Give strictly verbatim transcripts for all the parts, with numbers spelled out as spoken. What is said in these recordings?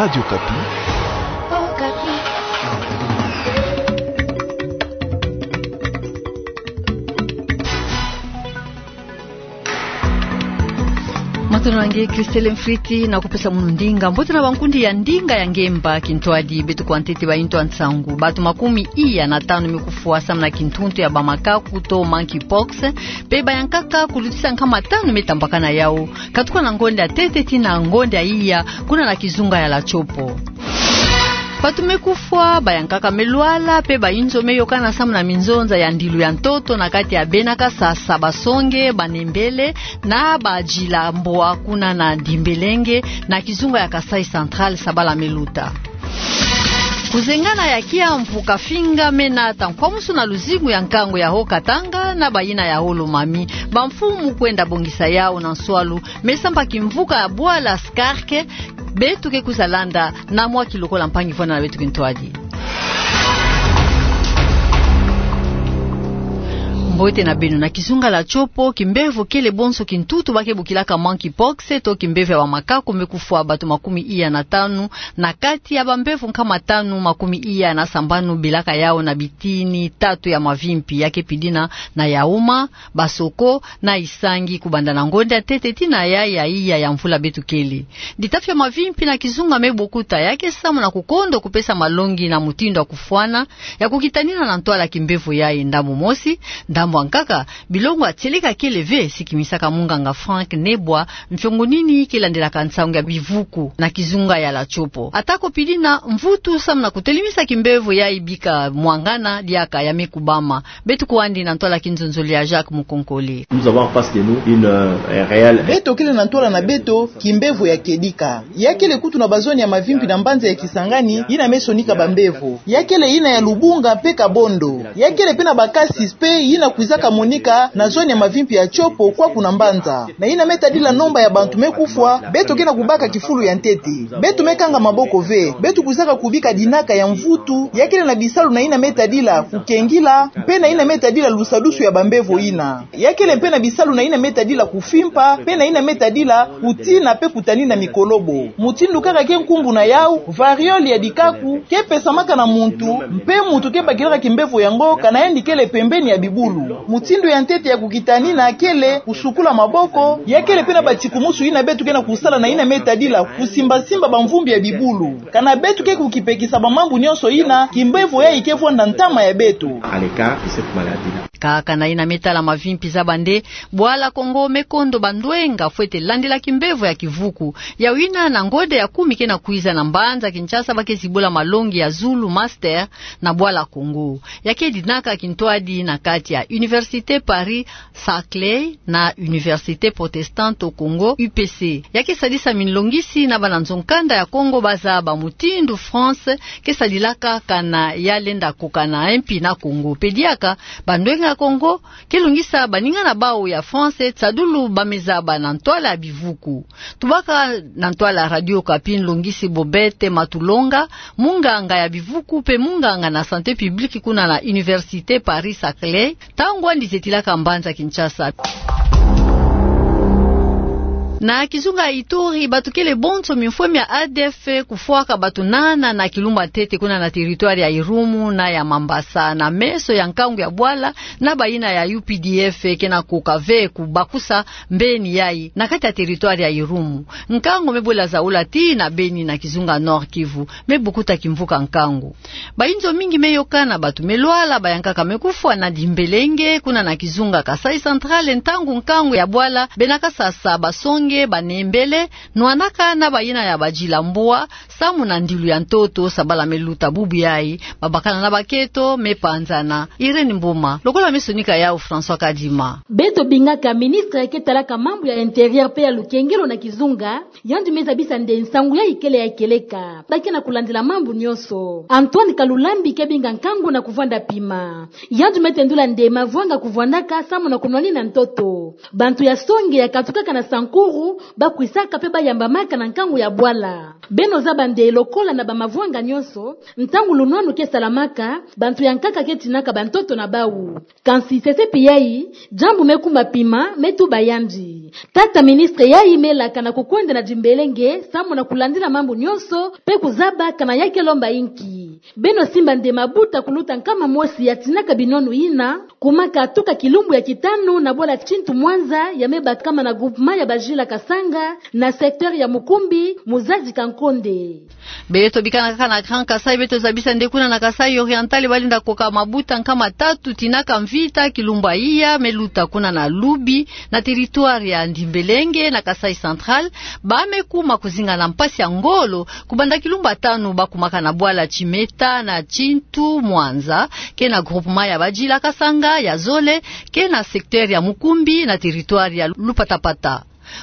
Radio Okapi. Matondo na nge Christelle Mfriti, na kupesa munu ndinga. Mbote na bankundi ya ndinga ya ngemba kintwadi. Beto kwa ntete ba intu a nsangu. Bato makumi iya na tanu me kufwa samu na kintuntu ya bamakaku to monkeypox, pe bayankaka kulutisa nkama tanu me tambakana yau, katuka na ngonda ya ntete tii na ngonda ya iya, kuna na kizunga ya La Tshopo. Bato me kufwa, bayankaka me lwala, pe ba inzo me yokana samu na minzonza ya ndilu ya ntoto na kati ya bena kasasa, basonge, banembele, na bajila mbwa kuna na Dimbelenge, na kizunga ya Kasaï Central, sabala me luta. Kuzengana ya kiamvu ka finga me nata nkwamusu na luzingu ya nkangu ya Haut-Katanga na bayina ya Haut-Lomami. Bamfumu kwenda bongisa yau na nswalu me samba kimvuka ya bwala Skarke. Beto ke kwiza landa na mwa kilokola mpangi vwanda na beto kintwadi. Mbote na beno. Na kizunga La Tshopo, kimbevo kele bonso kintutu ba ke bokilaka monkeypox, to kimbevo ya bamakaku, me kufwa bato makumi iya na tanu, na kati ya bambevo nkama tanu makumi iya na sambanu belaka yau na bitini tatu ya mavimpi, ya ke pidina na Yaouma, Bassoko na Issangi, kubanda na ngonda ya ntete tii na ya ya iya ya mvula beto kele. Ditafi ya mavimpi na kizunga me bokuta, ya ke samu na kukondo kupesa malongi na mutindu ya kufwana, ya kukitanina na ntwala kimbevo yayi. Ndambu mosi, ndambu ya nkaka, bilongo ya tieleka kele ve, sikimisaka munganga Franck Nebwa, mfiongo nini ke landelaka nsangu ya bivuku na kizunga ya La Tshopo. Atako pidina mvutu samu na kutelemisa kimbevo yayi bika mwangana, diaka ya me kubama. Beto kwandi na ntwala kinzonzolo ya Jacques Mukonkole. Nous avons en face de nous une, euh, un réel... Beto kele na ntwala na beto kimbevo ya kedika. Ya kele kutu na bazone ya mavimpi na mbanza ya Kisangani yina me sonika bambevo. Ya kele yina ya Lubunga mpe Kabondo. Ya kele mpe na ba cas suspects yina kwizaka monika na zone ya mavimpi ya Tshopo kwaku na mbanza. Na yina me tadila nomba ya bantu me kufwa, beto ke na kubaka kifulu ya ntete. Beto me kanga maboko ve. Beto kwizaka kubika dinaka ya mvutu. Ya kele na bisalu na yina me tadila kukengila, mpe na yina me tadila lusadusu ya bambevo yina. Ya kele mpe na bisalu na yina me tadila kufimpa, mpe na yina me tadila kutina mpe kutanina mikolobo. Mutindu kaka ke nkumbu na yau, variole ya dikaku, ke pesamaka na muntu, mpe muntu ke bakilaka kimbevo yango kana yandi kele pembeni ya bibulu. Mutindu ya ntete ya kukitanina kele kusukula maboko, ya kele mpe na batikumusu yina beto ke na kusala na yina me tadila kusimbasimba bamvumbi ya bibulu. Kana beto ke kukipekisa bamambu nyonso yina, kimbevo yayi ke vwanda ntama ya beto. À l'écart de cette maladie-là. Kaka na yina me tala mavimpi zaba nde, bwala Kongo me kondo bandwenga fwete landila kimbevo ya kivuku. Yau yina na ngonda ya kumi ke na kwiza na mbanza Kinshasa ba ke zibula malongi ya zulu master na bwala Kongo. Ya ke dinaka kintwadi na kati ya Université Paris Saclay na Université Protestante au Congo, U P C. Ya ke sadisa minlongisi na bana nzo-nkanda ya Kongo ba zaba mutindu France ke sadilaka kana ya lenda kokana mpi na Kongo. Pe diaka, bandwenga ya Kongo ke longisa baninga na bau ya France tsadulu ba me zaba na ntwala ya bivuku. Tubaka na ntwala Radio Okapi, nlongisi Bobette Matulonga, munganga ya bivuku mpe munganga na santé publique kuna na Université Paris Saclay, ntangu andi zetilaka mbanza Kinshasa. Na kizunga ya Ituri, bato kele bonso mimfwe mia A D F kufwaka bato nana na kilumbu ya ntete kuna na territoire ya Irumu na ya Mambasa, na meso ya nkangu ya bwala na bayina ya U P D F ke na koka ve kubakusa mbeni yayi na kati ya territoire ya Irumu. Nkangu me bwela zaula tii na Beni na kizunga Nord-Kivu, me bokuta kimvuka nkangu. Bayinzo mingi me yokana, bato me lwala, bayankaka me kufwa na Dimbelenge, kuna na kizunga Kasaï Central, ntangu nkangu ya bwala, bena kasasa, basonge, banembele, nwanaka na bayina ya bajila mbwa, samu na ndilu ya ntoto, sabala me luta bubu yayi, mabakala na bakento me panzana. Irène Mboma, lokola me sonika yau François Kadima. Beto bingaka ministre ke talaka mambu ya intérieur mpe ya lukengelo na kizunga, yandi me zabisa nde nsangu yayi kele ya kieleka. Ba ke na kulandila mambu nyonso. Antoine Kalulambi ke binga nkangu na kuvwanda pima. Yandi me tendula nde mavwanga kuvwandaka samu na kunwanina ntoto. Bantu ya songe ya katukaka na Sankuru bakwisaka mpe bayambamaka na nkangu ya bwala. Beno zaba nde lokola na bamavwanga nyonso, ntangu lunwanu ke salamaka, bantu ya nkaka ke tinaka bantoto na bau. Kansi sese pi yai, diambu me kuma pima, me tuba yandi. Tata ministre yai me laka na kukwenda na dimbelenge, samu na kulandila mambu nyonso, mpe kuzaba kana ya ke lomba inki. Beno simba nde mabuta kuluta nkama mosi ya tinaka binwanu yina, kumaka tuka kilumbu ya kitanu na bwala Tintu Mwanza ya me bakama na groupement ya Bajila Kasanga, na secteur ya Mukumbi, mu zadi Kankonde. Beto bikana kaka na Grand Kasaï, beto zabisa nde kuna na Kasaï Oriental, balenda koka mabuta nkama tatu tinaka mvita kilumbu ya iya me luta kuna na Lubi, na territoire ya Ndimbelenge, na Kasaï Central, ba me kuma kuzinga na mpasi ya ngolo, kubanda kilumbu ya tanu bakumaka na bwala Tsimeta na Tintu Mwanza, ke na groupement ya Bajila Kasanga ya zole, ke na secteur ya Mukumbi na territoire ya Lupatapata.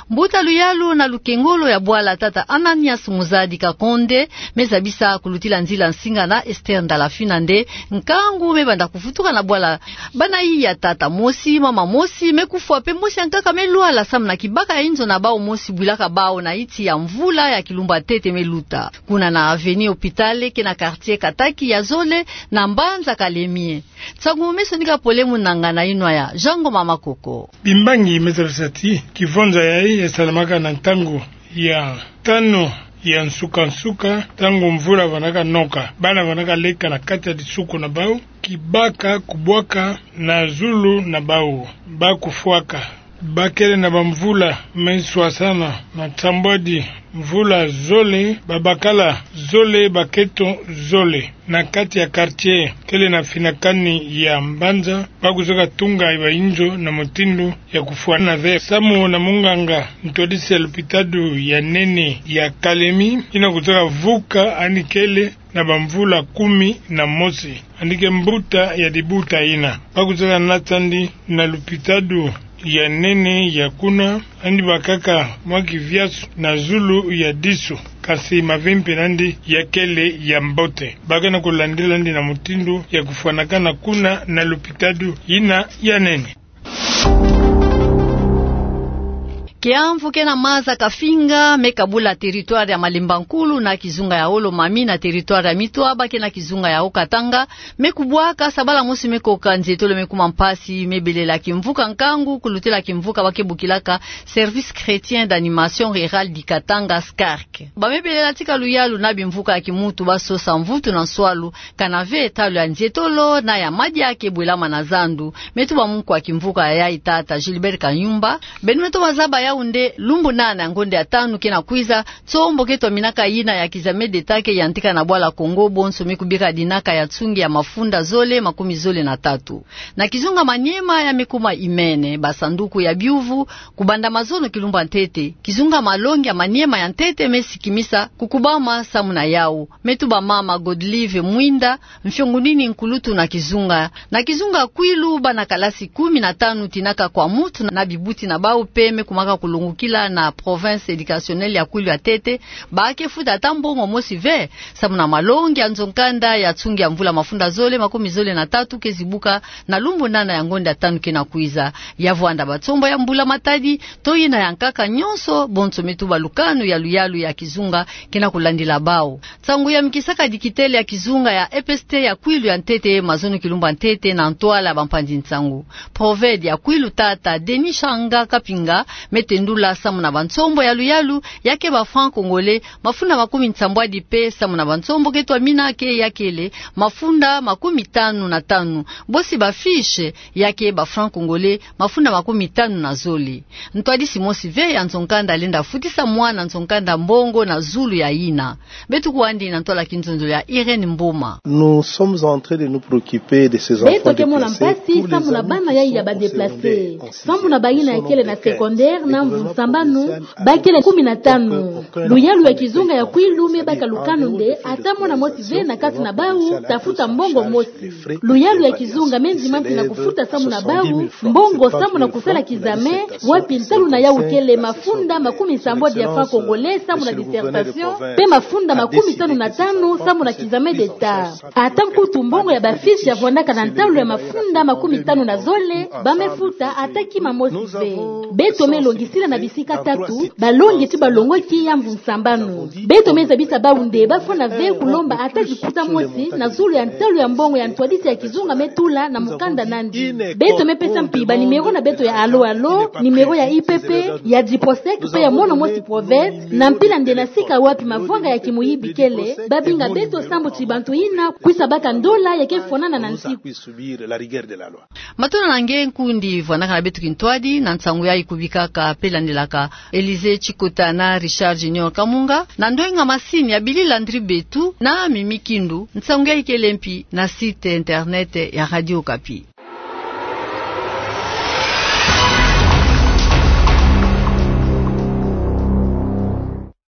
Mbuta luyalu na lukengolo ya bwala tata Ananias Muzadi Kakonde, me zabisa kulutila nzila nsinga na Esther Ndalafina nde, nkangu me banda kuvutuka na bwala bana iya tata mosi, mama mosi, me kufwa mpe mosi ya nkaka me lwala samu na kibaka ya inzo na bau mosi bwilaka bau na iti ya mvula ya kilumbu ya ntete me luta. Kuna na avenue Hôpital ke na quartier Kataki ya zole na mbanza Kalemie. Nsangu me sonika pole mu nanga na inwa ya Jango Mama Koko. Bimbangi me zabisa ti kivonza yai ya salamaka na ntangu ya tanu ya nsuka-nsuka, ntangu mvula vandaka noka. Bana vandaka leka na kati ya disuku na bau, kibaka kubwaka na zulu na bau, ba kufwaka. Bakele na bamvula me nswasana na nsambwadi mvula zole, babakala zole, bakento zole. Na kati ya quartier kele na finakani ya mbanza, ba kuzaka tunga ba inzo na mutindu ya kufwana ve. Samu na munganga ntwadisi ya lupitalu ya nene ya Kalemi, yina kuzaka vuka yandi kele na bamvula kumi na mosi. Yandi ke mbuta ya dibuta yina. Ba kuzaka nata yandi na lupitalu ya nene ya kuna, yandi bakaka mwa kiviasu na zulu ya disu. Kansi mavimpi na yandi ya kele ya mbote. Ba ke na kulandila yandi na mutindu ya kufwanakana kuna na lupitalu yina ya nene. Kiamvu ke na maza kafinga, me kabula territoire ya Malemba Nkulu na kizunga ya Haut-Lomami na territoire ya Mitwaba ke na kizunga ya Haut-Katanga, me kubwaka sabala mosi me koka nzietolo me kuma mpasi, me belela kimvuka nkangu kulutila kimvuka ba ke bokilaka Service Chrétien d'Animation Rurale du Katanga, SCARC. Ba me belela tika luyalu na bimvuka ya kimuntu ba sosa mvutu na nswalu, kana ve talo ya nzietolo na ya madia ke bwelama na zandu. Me tuba munkwa kimvuka ya yai tata Gilbert Kanyumba. Beno me tuba zaba yau nde lumbu nana ya ngonde ya tanu ke na kwiza, nsombo ke twaminaka yina ya kizame deta ke yantika na bwala Kongo, bonso me kubika dinaka ya nsungi ya mafunda zole makumi zole na tatu. Na kizunga Maniema ya me kuma imene, basanduku ya biuvu, kubanda mazono kilumbu ya ntete, kizunga malongi ya Maniema ya ntete me sikimisa kukubama samu na yau. Me tuba mama Godlive Mwinda, mfiongunini nkulutu na kizunga. Na kizunga Kwilu, bana kalasi kumi na tanu tinaka kwa mutu na bibuti na bau mpe me kumaka kulongokila na province éducationnelle ya Kwilu ya ntete, ba ke futa ata mbongo mosi ve, samu na malongi ya nzo-nkanda ya nsungi ya mvula mafunda zole makumi zole na tatu ke zibuka na lumbu nana ya ngonde ya tanu ke na kwiza. Ya vwanda bansombo ya mbula matadi, to yina ya nkaka, nyonso bonso me tuba lukanu ya luyalu ya kizunga ke na kulandila bau. Nsangu ya mikisaka dikitele ya kizunga ya E P S T ya Kwilu ya ntete, mazono kilumbu ya ntete na ntwala bampanzi nsangu. Proved ya Kwilu tata Denis Shanga Kapinga me tendula samu na bansombo ya luyalu ya ke ba francs congolais mafunda makumi nsambwadi mpe samu na bansombo ke twamina ke ya kele mafunda makumi tanu na tanu. Bosi ba fiches ya ke ba francs congolais mafunda makumi tanu na zole. Ntwadisi mosi ve ya nzo-nkanda lenda futisa mwana nzo-nkanda mbongo na zulu ya yina. Beto kwandi na ntwala kinzonzolo ya Irène Mboma. Nous sommes en train de nous préoccuper de ces enfants déplacés. Beto ke mona mpasi samu na bana yai ya ba déplacés. Sambu na bayina ya kele na secondaire na mvu sambanu, ba kele kumi na tanu. Luyalu ya kizunga ya Kwilu me baka lukanu nde ata mwana mosi ve na kati na bau ta futa mbongo mosi. Luyalu ya kizunga me ndima mpi na kufuta samu na bau mbongo samu na kusala kizame, wapi ntalu na yau kele mafunda makumi nsambwadi ya francs congolais samu na dissertation, mpe mafunda makumi tanu na tanu samu na kizame d'État. Ata nkutu mbongo ya ba fiches ya vwandaka na ntalu ya mafunda makumi tanu na zole, ba me futa ata kima mosi ve. Beto me longi Sila na bisika tatu, balongi ti balongoki ya mvu nsambanu. Beto me zabisa bawu nde bafwana ve kulomba ata dikuta mosi na zulu ya ntalu ya mbongo ya ntwadisi ya kizunga me tula na mukanda nandi. Beto me pesa mpi banimero na beto ya Allo Allo, nimero ya I P P, ya DIPROSEC pe ya mono mosi province, na mpila nde na sika wapi mavwanga ya kimuyibi kele, babinga beto sambu ti bantu yina kwisa baka ndola ya ke fwanana na nsiku. Matondo na nge nkundi vwanakana beto kintwadi na nsangu yayi kubikaka pe landilaka Elysée Tshikota na Richard Junior Kamunga, na ndwenga masini ya Billy Landry Betu na Mimi Kindu, nsangu yayi kele mpi na site internet ya Radio Okapi.